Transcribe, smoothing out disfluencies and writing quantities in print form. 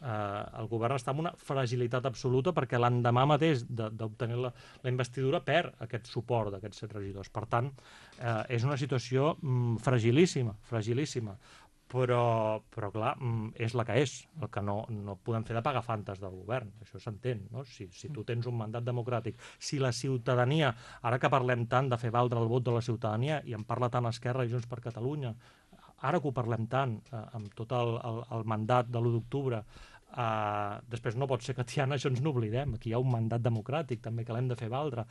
el govern està en una fragilitat absoluta perquè l'endemà mateix d'obtenir la investidura perd aquest suport d'aquests 7 regidors. Per tant, és una situació fragilíssima, fragilíssima. Però clar, és la que és. El que no podem fer de pagar fantes del govern, això s'entén, no? Si tu tens un mandat democràtic, si la ciutadania, ara que parlem tant de fer valdre el vot de la ciutadania, i en parla tant Esquerra i Junts per Catalunya, ara que ho parlem tant, amb tot el mandat de l'1 d'octubre, després no pot ser que, Tiana, això ens n'oblidem. Aquí hi ha un mandat democràtic també que l'hem de fer valdre.